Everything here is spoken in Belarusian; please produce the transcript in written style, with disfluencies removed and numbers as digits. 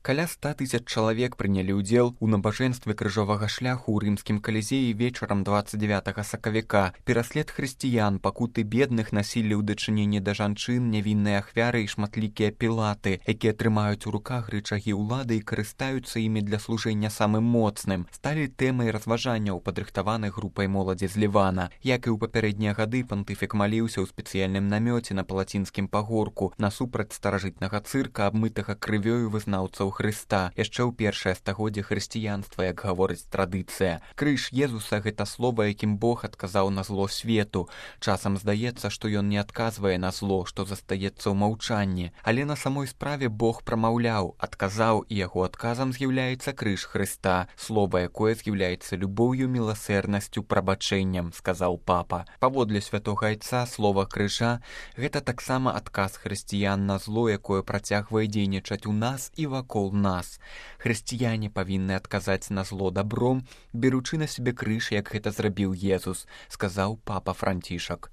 Каля 100 000 чалавек прынялі ўдзел у набажэнстве крыжовага шляху ў рымскім калізеі вечарам 29 сакавіка. Пераслед хрысціян, пакуты бедных, насілле ў дачыненні да жанчын, нявінныя ахвяры і шматлікія пілаты, якія трымаюць у руках рычагі ўлады і карыстаюцца імі для служэння самым моцным, сталі тэмай разважанняў, падрыхтаваных групай моладзі з Лівана. Як і ў папярэднія гады, пантыфік маліўся ў спецыяльным намёце на Палацінскім пагорку насупраць старажытнага цырка, абмытага крывёю вызнаўцаў Хрыста. Яшчэ ў першае стагоддзе хрысціянства, як гаворыць традыцыя. Крыж Езуса — гэта слова, якім Бог адказаў на зло свету. Часам здаецца, што ён не адказвае на зло, што застаецца ў маўчанні. Але на самой справе Бог прамаўляў, адказаў, і яго адказам з'яўляецца крыж Хрыста, слова, якое з'яўляецца любоўю, міласэрнасцю, прабачэннем, сказаў папа. Паводле святога айца, слова крыжа — гэта таксама адказ хрысціян на зло, якое працягвае дзейнічаць у нас і вакол нас. Хрысціяне павінны адказаць на зло дабром, беручы на сябе крыж, як гэта зрабіў Езус, сказаў папа Францішак.